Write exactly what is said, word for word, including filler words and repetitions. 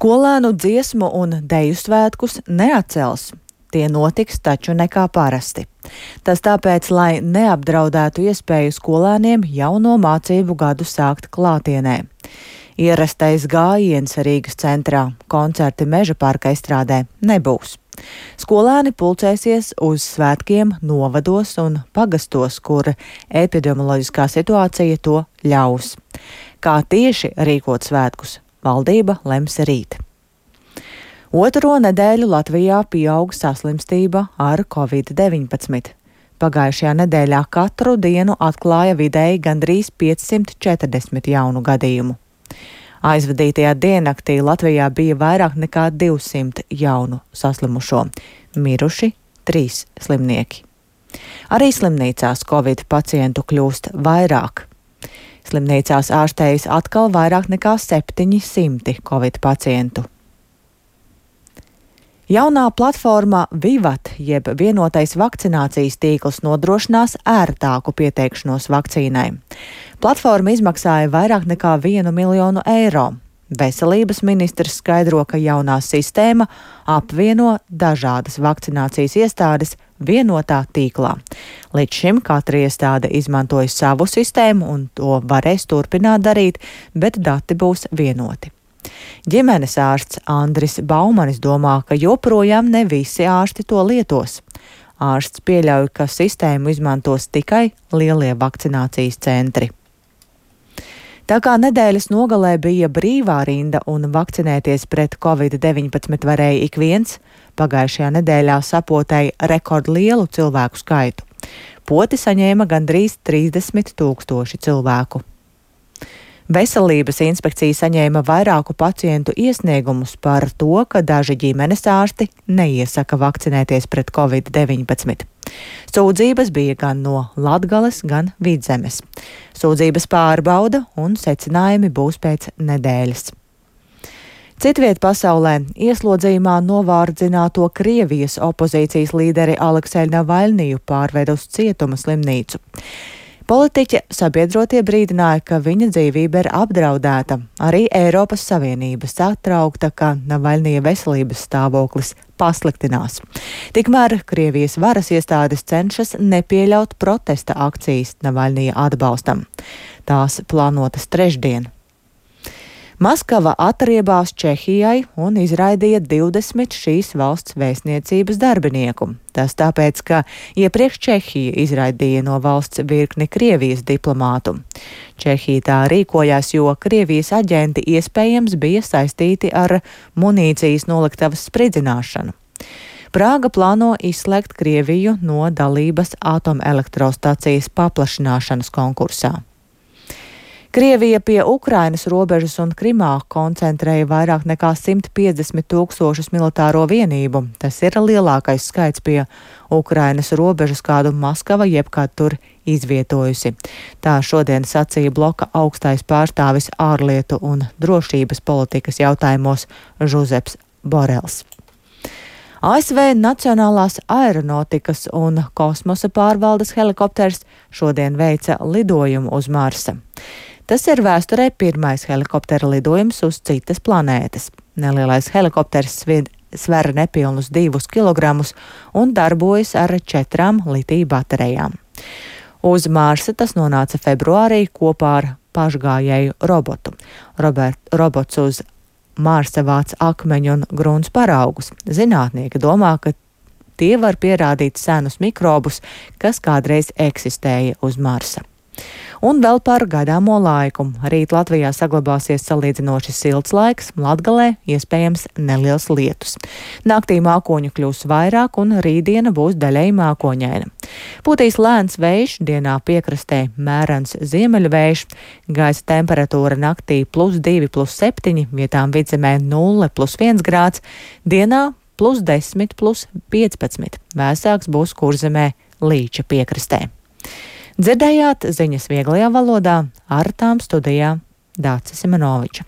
Skolēnu dziesmu un deju svētkus neatcels. Tie notiks taču nekā parasti. Tas tāpēc, lai neapdraudētu iespēju skolēniem jauno mācību gadu sākt klātienē. Ierastais gājiens Rīgas centrā, koncerti Meža parka estrādē, nebūs. Skolēni pulcēsies uz svētkiem novados un pagastos, kur epidemioloģiskā situācija to ļaus. Kā tieši rīkot svētkus, valdība lems rīt. Otro nedēļu Latvijā pieaug saslimstība ar covid deviņpadsmit. Pagājušajā nedēļā katru dienu atklāja vidēji gandrīz piecsimt četrdesmit jaunu gadījumu. Aizvadītajā diennaktī Latvijā bija vairāk nekā divsimt jaunu saslimušo, miruši trīs slimnieki. Arī slimnīcās covid pacientu kļūst vairāk. Slimnīcās ārstējas atkal vairāk nekā septiņi simti covid pacientu. Jaunā platforma Vivat, jeb vienotais vakcinācijas tīkls, nodrošinās ērtāku pieteikšanos vakcīnai. Platforma izmaksāja vairāk nekā vienu miljonu eiro. Veselības ministrs skaidro, ka jaunā sistēma apvieno dažādas vakcinācijas iestādes vienotā tīklā. Līdz šim katra iestāde izmantoja savu sistēmu un to varēs turpināt darīt, bet dati būs vienoti. Ģimenes ārsts Andris Baumanis domā, ka joprojām ne visi ārsti to lietos. Ārsts pieļauj, ka sistēmu izmantos tikai lielie vakcinācijas centri. Tā kā nedēļas nogalē bija brīvā rinda un vakcinēties pret covid deviņpadsmit varēja ik viens, pagājušajā nedēļā sapotēja rekordlielu cilvēku skaitu. Poti saņēma gandrīz trīsdesmit tūkstoši cilvēku. Veselības inspekcija saņēma vairāku pacientu iesniegumus par to, ka daži ģimenes ārsti neiesaka vakcinēties pret covid deviņpadsmit. Sūdzības bija gan no Latgales, gan Vidzemes. Sūdzības pārbauda un secinājumi būs pēc nedēļas. Citviet pasaulē ieslodzījumā novārdzināto Krievijas opozīcijas līderi Alekseju Navaļniju pārved uz cietuma slimnīcu. Politiķe sabiedrotie brīdināja, ka viņa dzīvība ir apdraudēta. Arī Eiropas Savienība satraukta, ka Navaļnija veselības stāvoklis pasliktinās. Tikmēr Krievijas varas iestādes cenšas nepieļaut protesta akcijas Navaļnija atbalstam. Tās plānotas trešdien. Maskava atriebās Čehijai un izraidīja divdesmit šīs valsts vēstniecības darbinieku. Tas tāpēc, ka iepriekš Čehija izraidīja no valsts virkni Krievijas diplomātu. Čehija tā rīkojās, jo Krievijas aģenti iespējams bija saistīti ar munīcijas noliktavas spridzināšanu. Prāga plāno izslēgt Krieviju no dalības atomelektrostacijas paplašināšanas konkursā. Krievija pie Ukrainas robežas un Krimā koncentrēja vairāk nekā simt piecdesmit tūkstošus militāro vienību. Tas ir lielākais skaits pie Ukrainas robežas, kādu Maskava jebkad tur izvietojusi. Tā šodien sacīja bloka augstais pārstāvis ārlietu un drošības politikas jautājumos Žuzeps Borels. A S V Nacionālās aeronotikas un kosmosa pārvaldes helikopters šodien veica lidojumu uz Marsa. Tas ir vēsturē pirmais helikoptera lidojums uz citas planētas. Nelielais helikopters sver nepilnus divus kilogramus un darbojas ar četrām litija baterijām. Uz Marsa tas nonāca februārī kopā ar pašgājēju robotu. Robert, robots uz Marsa vāc akmeņu un grunts paraugus. Zinātnieki domā, ka tie var pierādīt senus mikrobus, kas kādreiz eksistēja uz Marsa. Un vēl par gaidāmo laiku. Rīt Latvijā saglabāsies salīdzinoši silts laiks, Latgalē iespējams neliels lietus. Naktī mākoņu kļūs vairāk un rītdiena būs daļēji mākoņaina. Pūtīs lēns vējš, dienā piekrastē mērens ziemeļvējš, gaisa temperatūra naktī plus divi, plus septiņi, vietām Vidzemē nulle, plus viens grāds, dienā plus desmit, plus piecpadsmit. Vēsāks būs Kurzemē Līča piekrastē. Dzirdējāt ziņas vieglajā valodā, ar tām studijā Dācis Simenoviča.